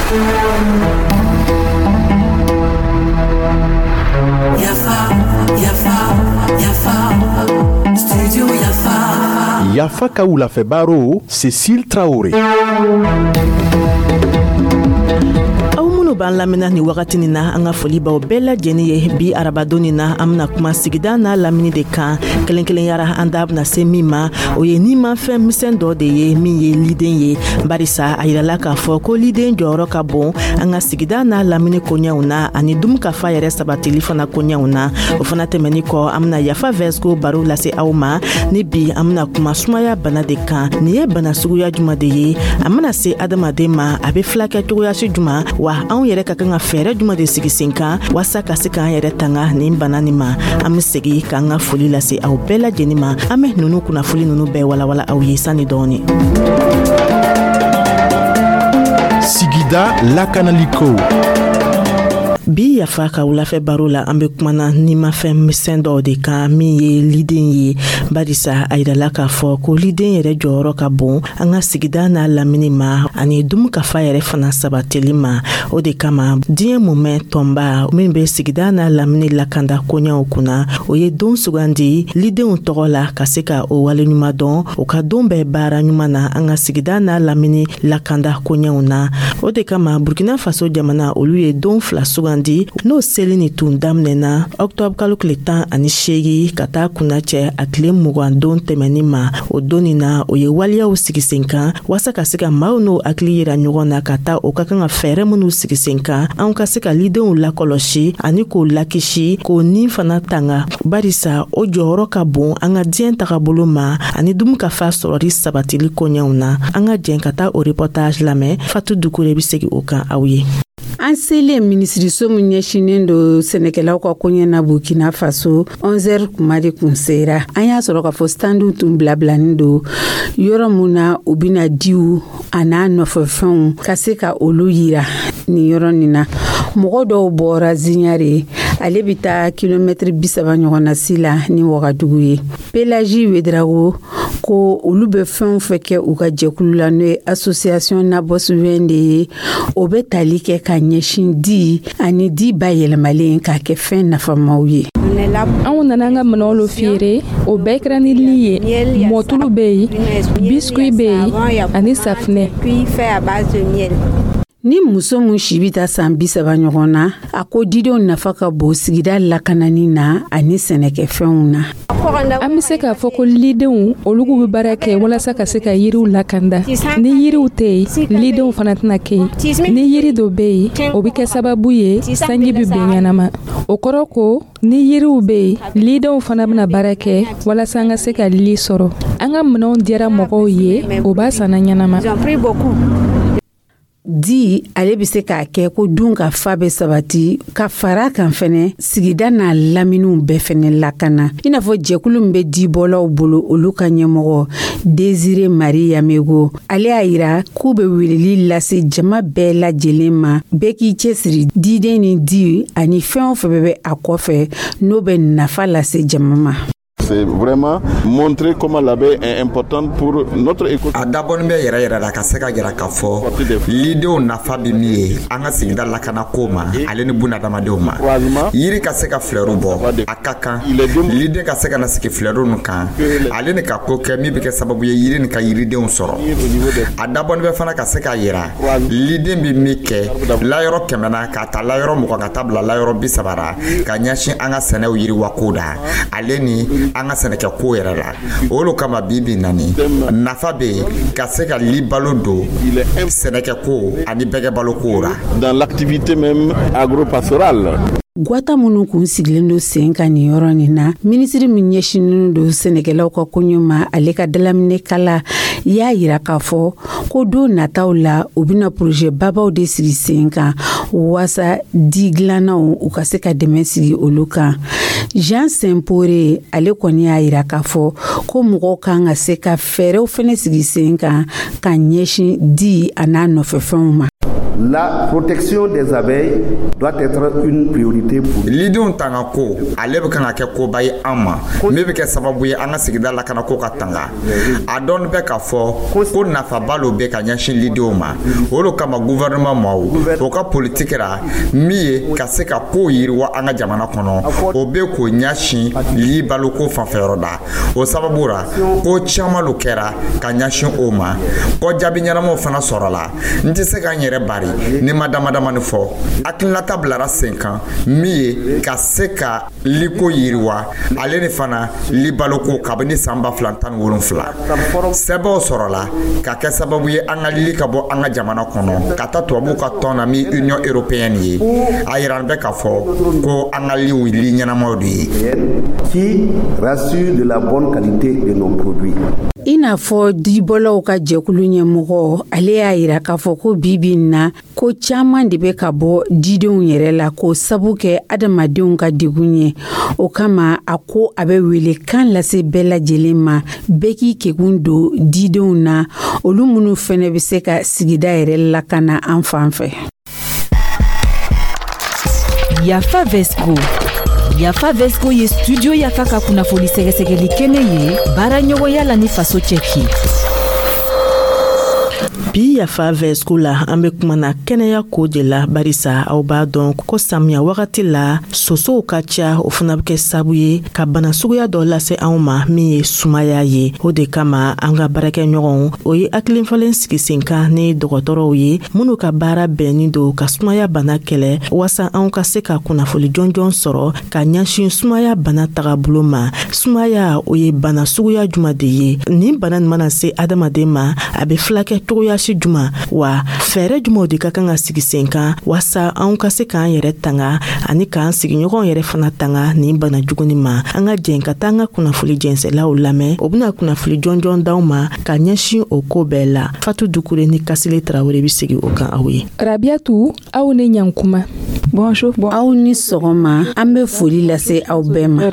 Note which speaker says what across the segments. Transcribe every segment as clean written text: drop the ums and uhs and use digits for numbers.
Speaker 1: Yafa, yafa, yafa, studio Yafa.
Speaker 2: Yafa ka wulafɛ baro, Cécile Traoré.
Speaker 3: Aw minnu b'an lamɛnna nin wagati nin na, an ka foli b'aw bɛɛ lajɛlen ye. Bi arabadon nin na, an bɛna kuma sigida n'a lamini de kan. Kelen kelenyara, an da bɛna se min ma, o ye nimafɛn misɛn dɔ de ye, min ye liden ye, barisa a yirala k'a fɔ ko liden jɔyɔrɔ ka bon an ka sigida n'a lamini koɲɛw na, ani dunkafa yɛrɛ sabatili fana koɲɛw na. O fana tɛmɛni kɔ, an bɛna Yafa Vɛsiko baro lase aw ma. Ni bi, an bɛna kuma sumaya bana de kan. Nin ye bana suguya juma de ye? A mana se adamaden ma, a bɛ filakɛ cogoyasi juma? Wa anw yɛrɛ ka kan ka fɛɛrɛ juma de sigi sen kan waasa ka se k'an yɛrɛ tanga nin bana nin ma? An be segi k'an ka foli lase aw bɛɛ lajɛnin ma. An be nunu kunnafoli nunu bɛɛ walawala aw ye sani dɔɔni.
Speaker 2: Sigida lakanaliko.
Speaker 3: Bi Yafa ka wulafɛ baro la, an be kumana nimafɛn misɛn dɔw de kan, min ye liden ye, barisa a yirala k'a fɔ ko liden yɛrɛ jɔyɔrɔ ka bon an ka sigida n'a lamini ma, ani dunkafa yɛrɛ fana sabatili ma. O de kama, diɲɛ mumɛ tɔnba min be sigida n'a lamini lakanda koɲɛw kunna, o ye don sugandi lidenw tɔgɔ la, ka se ka o waleɲuman dɔn o ka don bɛɛ baara ɲuman na an ka sigida n'a lamini lakanda koɲɛw na. O de kama, Burkina Faso jamana, olu ye don fila sugandi. N'o seli ni tun daminɛna ɔktɔbr kalo tile 18 ka taa kunna cɛ a tile 20 don tɛmɛni ma. O don nin na, o ye waleyaw sigi sen kan waasa ka se ka maaw n'o hakili yira ɲɔgɔn na, ka taa o ka kan ka fɛɛrɛ minw sigi sen kan, anw ka se ka lidenw lakɔlɔsi ani k'o lakisi, k'o nin fana tanga, barisa o jɔyɔrɔ ka bon an ka diɲɛ tagabolo ma, ani dunkafa sɔrɔli sabatili koɲɛw na. An ka jɛn ka taa o reportage lamɛn. Fatu Dukure bɛ segin o kan aw ye.
Speaker 4: An selen minisiriso min ɲɛsinnen don sɛnɛkɛlaw ka koɲɛ na Burkina Faso, 11h kuma de kun sera. An y'a sɔrɔ k'a fɔ standiw tun bilabilanin don yɔrɔ mun na u bɛna diw a n'a nɔfɛfɛnw ka se ka olu yira nin yɔrɔ nin na. Mɔgɔ dɔw bɔra Ziɲare, ale bɛ taa kilomɛtiri 30 ɲɔgɔn na si la ni Wagadugu ye. Pelagie Wedrago ko olu bɛ fɛn o fɛn kɛ u ka jɛkulu la, n'o ye association Naboswen de ye, o bɛ tali kɛ ka ɲɛsin di ani di bayɛlɛmalen k'a kɛ fɛn nafamaw ye.
Speaker 5: Anw nana an ka minɛnw lo feere. O bɛɛ kɛra ni li ye. Mɔtulu bɛ yen, biscuit bɛ yen, ani safinɛ.
Speaker 4: Ni muso min si bɛ taa san 30 ɲɔgɔn na, a ko didenw nafa ka bon sigida lakanani na ani sɛnɛkɛfɛnw na.
Speaker 5: An bɛ se k'a fɔ ko lidenw, olu bɛ baara kɛ walasa ka se ka yiriw lakanda. Ni yiriw tɛ yen, lidenw fana tɛna kɛ yen. Ni yiri dɔ bɛ yen, o bɛ kɛ sababu ye sanji bɛ bin ɲɛnama. O kɔrɔ ko ni yiriw bɛ yen, lidenw fana bɛna baara kɛ walasa an ka se ka li sɔrɔ. An ka minɛnw diyara mɔgɔw ye, o b'a sanna ɲɛnama.
Speaker 4: Di ale bɛ se k'a kɛ ko dun ka fa bɛ sabati ka fara kan fɛnɛ, sigida n'a laminiw bɛɛ fɛnɛ lakana, i n'a fɔ jɛkulu min bɛ dibɔlaw bolo, olu ka ɲɛmɔgɔ Désiré Marie Yamego, ale y'a yira k'u bɛ weleli lase jama bɛɛ lajɛlen ma, bɛɛ k'i cɛsiri diden ni di ani fɛn o fɛn bɛ a kɔfɛ, n'o bɛ nafa lase jama ma.
Speaker 6: C'est vraiment montrer comment l'abeille est importante pour notre écosystème.
Speaker 7: A dabɔnin bɛ yɛrɛ yɛrɛ la ka se ka yira k'a fɔ lidenw nafa bɛ min ye an ka sigida lakana ko ma, ale ni bunadamadenw ma. Yiri ka se ka filɛru bɔ, a ka kan liden ka se ka na sigi filɛru nin kan, ale ni ka ko kɛ min bɛ kɛ sababu ye yiri nin ka yiridenw sɔrɔ. A dabɔnin bɛ fana ka se ka yira liden bɛ min kɛ layɔrɔ 100 na, k'a ta layɔrɔ 20 ka taa bila layɔrɔ 30 la, ka ɲɛsin an ka sɛnɛw yiriwako da, ale ni an ka sɛnɛkɛko yɛrɛ la. Olu kama, bi bi nani nafa bɛ yen ka se ka libalo don sɛnɛkɛko ani bɛgɛbaloko la.
Speaker 6: Dans l'activité même agro-pastorale.
Speaker 4: Gwata minnu kun sigilen don sen kan nin yɔrɔ nin na, minisiri min ɲɛsinnen don sɛnɛkɛlaw ka koɲɛ ma, ale ka dalaminɛkala y'a yira k'a fɔ ko don nataw la, u bɛna projet babaw de sigi sen kan waasa di dilannaw u ka se ka dɛmɛ sigi olu kan. Jean Sempore, ale kɔni y'a yira k'a fɔ ko mɔgɔw kan ka se ka fɛɛrɛw fɛnɛ sigi sen kan ka ɲɛsin di a n'a nɔfɛfɛnw ma.
Speaker 8: La protection des abeilles doit être une priorité pour
Speaker 7: Lidenw tanga ko, ale bɛ kan ka kɛ koba ye an ma min bɛ kɛ sababu ye an ka sigida lakanako ka tanga. A dɔɔni bɛ k'a fɔ ko nafaba lo bɛ ka ɲɛsin lidenw ma. O de kama, gouvernement maaw o ka politiki ra min ye ka se ka kow yiriwa an ka jamana kɔnɔ, o bɛ k'o ɲɛsin li baloko fanfɛyɔrɔ la. O sababu ra, ko caman lo kɛra ka ɲɛsin o ma kɔ, jaabi ɲɛnamaw fana sɔrɔla. N tɛ se ka n yɛrɛ bari ni ma dama damani fɔ. Hakilinata bilara sen kan min ye ka se ka liko yiriwa, ale ni fana libaloko. Kabini san 2017, sɛbɛnw sɔrɔla ka kɛ sababu ye an ka li ka bɔ an ka jamana kɔnɔ ka taa tubabuw ka tɔn na min Union européenne ye. A yira bɛ k'a fɔ ko an ka liw li ɲɛnamaw de ye.
Speaker 8: Qui rassure de la bonne qualité de nos produits.
Speaker 4: I n'a fɔ dibɔlaw ka jɛkulu ɲɛmɔgɔ, ale y'a yira k'a fɔ ko bibi in na, ko caaman de bɛ ka bɔ didenw yɛrɛ la k'o sabu kɛ adamadenw ka degun ye. O kama, a ko a bɛ wele kan lase bɛɛ lajɛlen ma, bɛɛ k'i kekun don didenw na, olu minnu fɛnɛ bɛ se ka sigida yɛrɛ lakana an fan fɛ.
Speaker 9: Yafa Vesco. Yafa Vesco ye Studio Yafa ka kunnafoni sɛgɛsɛgɛli kɛnɛ ye, baara ɲɔgɔnya la ni Faso Cɛki.
Speaker 3: Bi Yafa Vɛsco la, an be kumana kɛnɛya ko de la, barisa aw b'a dɔn ko samiya wagati la, sosow ka ca. O fana be kɛ sabu ye ka bana suguya dɔ lase anw ma min ye sumaya ye. O de kama, an ka baarakɛɲɔgɔnw, o ye hakilifalen sigi sen kan ni dɔgɔtɔrɔw ye minnu ka baara bɛnnin don ka sumaya bana kɛlɛ, waasa anw ka se ka kunnafoli jɔnjɔn sɔrɔ ka ɲɛsin sumaya bana tagabolo ma. Sumaya, o ye bana suguya juma de ye? Nin bana nin mana se adamaden ma, a be filakɛ cogoya si juma wa? Fɛɛrɛ jumaw de ka kan ka sigi sen kan waasa anw ka se k'an yɛrɛ tanga ani k'an sigiɲɔgɔn yɛrɛ fana tanga nin bana juguni ma? An ka jɛn ka taa an ka kunnafoli jɛnsɛlaw lamɛn. O bena kunnafoli jɔnjɔn d'aw ma ka ɲɛsin o ko bɛɛ la. Fatu Dukure ni Kasile Tarawele be segi o kan aw ye.
Speaker 5: Rabiatu, aw ni ɲankuma.
Speaker 4: Bonjour. Aw ni sɔgɔma, an bɛ foli lase aw bɛɛ ma.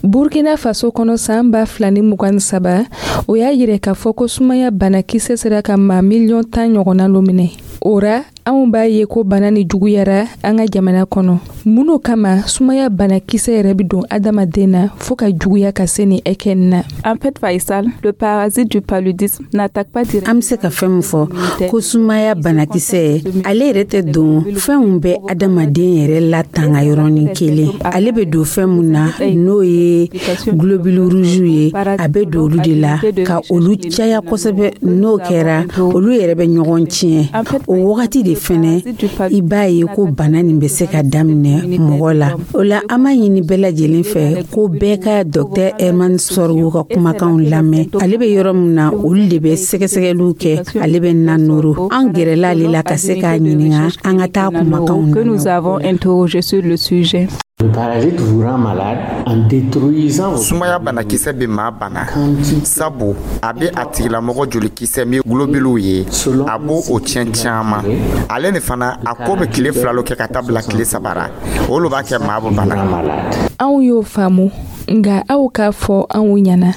Speaker 5: Burkina Faso kɔnɔ, saan 2023, o y'a yirɛ k'a fɔ ko sumaya banakisɛ sera ka maa miliyɔn 10 ɲɔgɔnna lo minɛ. O ra, anw b'a ye ko bana ni juguyara an ka jamana kɔnɔ. Mun kama sumaya banakisɛ yɛrɛ bɛ don adamaden na fɔɔ ka juguya ka se ni ɛkɛ na?
Speaker 10: En fait, Faisal, le parasite du paludisme n'attaque pas directement.
Speaker 4: An bɛ se ka fɛn min fɔ ko sumaya banakisɛ, ale yɛrɛ tɛ don fɛnw bɛ adamaden yɛrɛ latanga yɔrɔnin kelen. Ale bɛ don fɛn mun na, n'o ye globule rouge ye, a bɛ don olu de la ka olu caya kosɛbɛ. N'o kɛra, olu yɛrɛ bɛ ɲɔgɔn tiɲɛ. O wagati de fɛnɛ, i b'a ye ko bana nin bɛ se ka daminɛ mɔgɔ la. O la, an b'a ɲini bɛɛ lajɛlen fɛ ko bɛɛ ka Dɔktɛr Herman Sɔrgo ka kumakanw lamɛn. Ale bɛ yɔrɔ min na, olu de bɛ sɛgɛsɛgɛliw kɛ. Ale bɛ Nanoro. An gɛrɛla ale la ka se k'a ɲininka. An ka taa kumakanw
Speaker 10: que nous avons interrogé sur le sujet.
Speaker 11: Le parasite vous rend malade en détruisant
Speaker 7: Sumaya banakisɛ bɛ maa bana sabu a bɛ a tigilamɔgɔ jolikisɛ min globulew ye, a b'o o tiɲɛ caman. Ale ni fana, a ko bɛ tile 2 lo kɛ ka taa bila tile 3 ra. O lo b'a kɛ maa bɛ bana.
Speaker 5: Anw y'o faamu, nga aw k'a fɔ anw ɲɛna,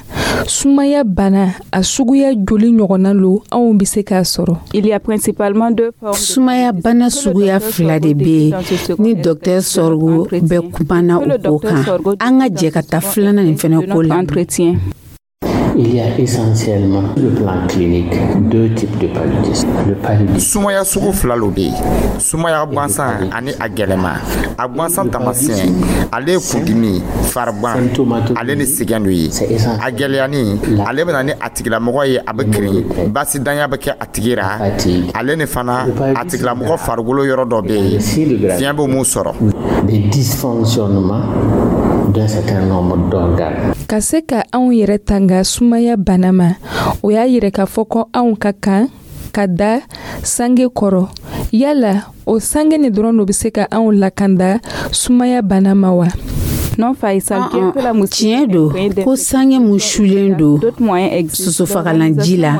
Speaker 5: sumaya bana a suguya joli ɲɔgɔnna lo anw be se k'a sɔrɔ?
Speaker 10: Il y a principalement deux formes.
Speaker 4: Sumaya bana suguya fila de bɛ yen ni Dɔktɛr Sɔrgo bɛ kumana o ko kan. An ka jɛ ka taa filanan nin fɛnɛ ko la.
Speaker 10: Entretien.
Speaker 11: Il y a essentiellement, sur le plan clinique, deux types de paludisme. Le paludisme
Speaker 7: Sumaya sugu fila lo bɛ yen: sumaya gansan ani a gɛlɛma. A gansan taamasiyɛn, ale ye kundimi, farigan, ale ni sɛgɛn dɔ ye. A gɛlɛyani, ale bɛ na ni a tigilamɔgɔ ye, a bɛ kirin, basidanya bɛ kɛ a tigi ra. Ale ni fana, a tigilamɔgɔ farikolo yɔrɔ dɔ bɛ yen, fiɲɛ bɛ mun sɔrɔ.
Speaker 11: Des dysfonctionnements d'un certain nombre d'organes.
Speaker 5: Ka se ka anw yɛrɛ tanga sumaya bana ma, o y'a yirɛ k'a fɔ ko anw ka kan ka da sange kɔrɔ. Yala o sange ni dɔrɔn lo be se ka anw lakanda sumaya bana ma wa?
Speaker 10: Non, Faisal, bien que la
Speaker 4: Tiɲɛ don ko sange mun sulen don sosofagalanji la,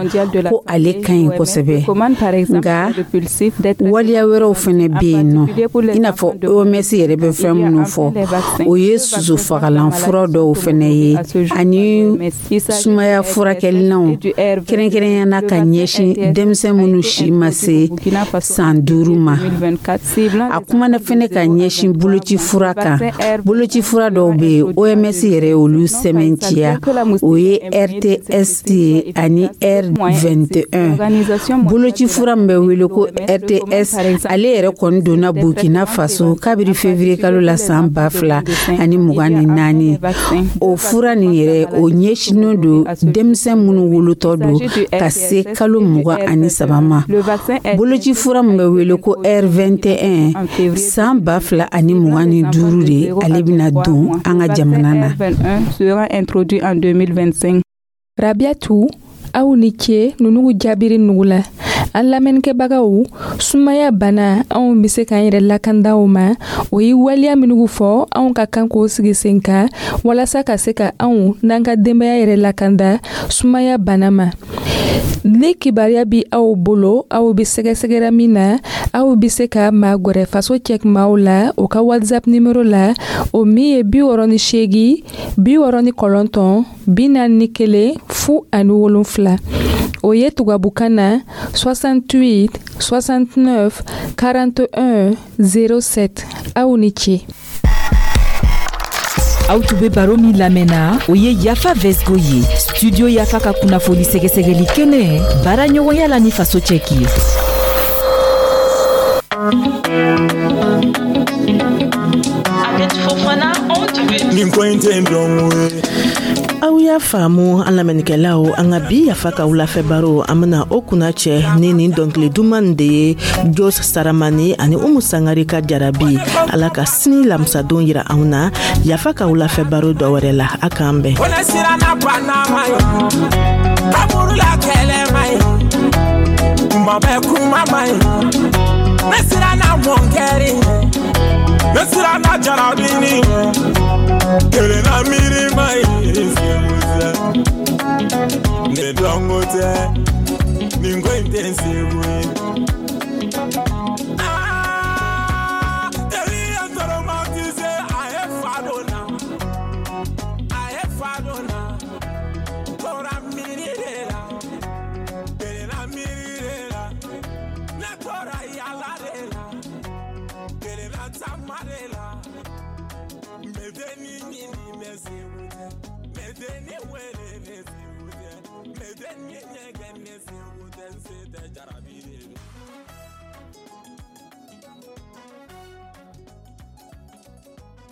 Speaker 4: ko ale ka ɲi kosɛbɛ, nka waleya wɛrɛw fɛnɛ bɛ yen nɔ, i n'a fɔ OMS yɛrɛ bɛ fɛn minnu fɔ, o ye sosofagalan fura dɔw fɛnɛ ye ani sumaya furakɛlilanw, kɛrɛnkɛrɛnya na ka ɲɛsin denmisɛn minnu si ma se san 5 ma. A kumana fɛnɛ ka ɲɛsin boloci fura kan. Boloci fura dɔw bɛ yen, OMS yɛrɛ olu sɛmɛntiya, o ye RTS ye ani R21. Boloci fura min bɛ wele ko RTS, ale yɛrɛ kɔni donna Burkina Faso kabiri février kalo la san 2024. O fura nin yɛrɛ, o ɲɛsinnen don denmisɛn minnu wolotɔ don ka se kalo 23 ma. Boloci fura min bɛ wele ko R21, san 2025 de ale bɛna don an ka jamana na.
Speaker 10: Sera introduit en 2025.
Speaker 5: Rabiatu, aw ni ce nunugu jaabiri nugu la. An lamɛnnikɛbagaw, sumaya bana, anw be se k'an yɛrɛ lakanda o ma. O ye waleya minugu fɔ, anw ka kan k'o sigi sen kan walasa ka se ka anw n'an ka denbaya yɛrɛ lakanda sumaya bana ma. Ni kibaruya bi aw bolo, aw be sɛgɛsɛgɛra min na, aw be se ka magwɛrɛ Faso Cɛkumaw la o ka WhatsApp nimero la, o min ye 68 69 41 07. O ye tubabukan na 68 69 41 07. Aw ni ce.
Speaker 9: Aw tun bɛ baro min lamɛnna, o ye Yafa Vesgo ye, Studio Yafa ka kunnafoni sɛgɛsɛgɛli kɛnɛ, baara ɲɔgɔnya la ni Faso Cɛki ye.
Speaker 12: Nin ko in tɛ dɔn ye.
Speaker 3: Aw y'a faamu, an lamɛnnikɛlaw, an ka bi Yafa ka wulafɛ baro, an bena o kunna cɛ ni nin dɔnkili duman de ye, Jos Saramani ani Umu Sangari ka Jarabi. Ala ka sini lamisadon yira anw na Yafa ka wulafɛ baro dɔ wɛrɛ la. A k'an bɛn.
Speaker 12: Ko ne siranna banama ye, kaburula kɛlɛ ma ye, kuma bɛ kuma ma ye. Ne siranna mɔnkɛri, ne siranna jarabini, kelenna miiri ma ye. Ne dɔnko tɛ nin ko in tɛ segu ye. Ah, teri ye traumatisé, a ye fa dɔ na, a ye fa dɔ na, tora miiri de la, kelenna miiri de la, ne tora yala de la, kelenna taama de la. Mɛdenni ɲini ne segu tɛ, mɛdenni wele ne segu tɛ, mɛdenni ɲɛgɛn ne segu tɛ, n se tɛ jarabi de don.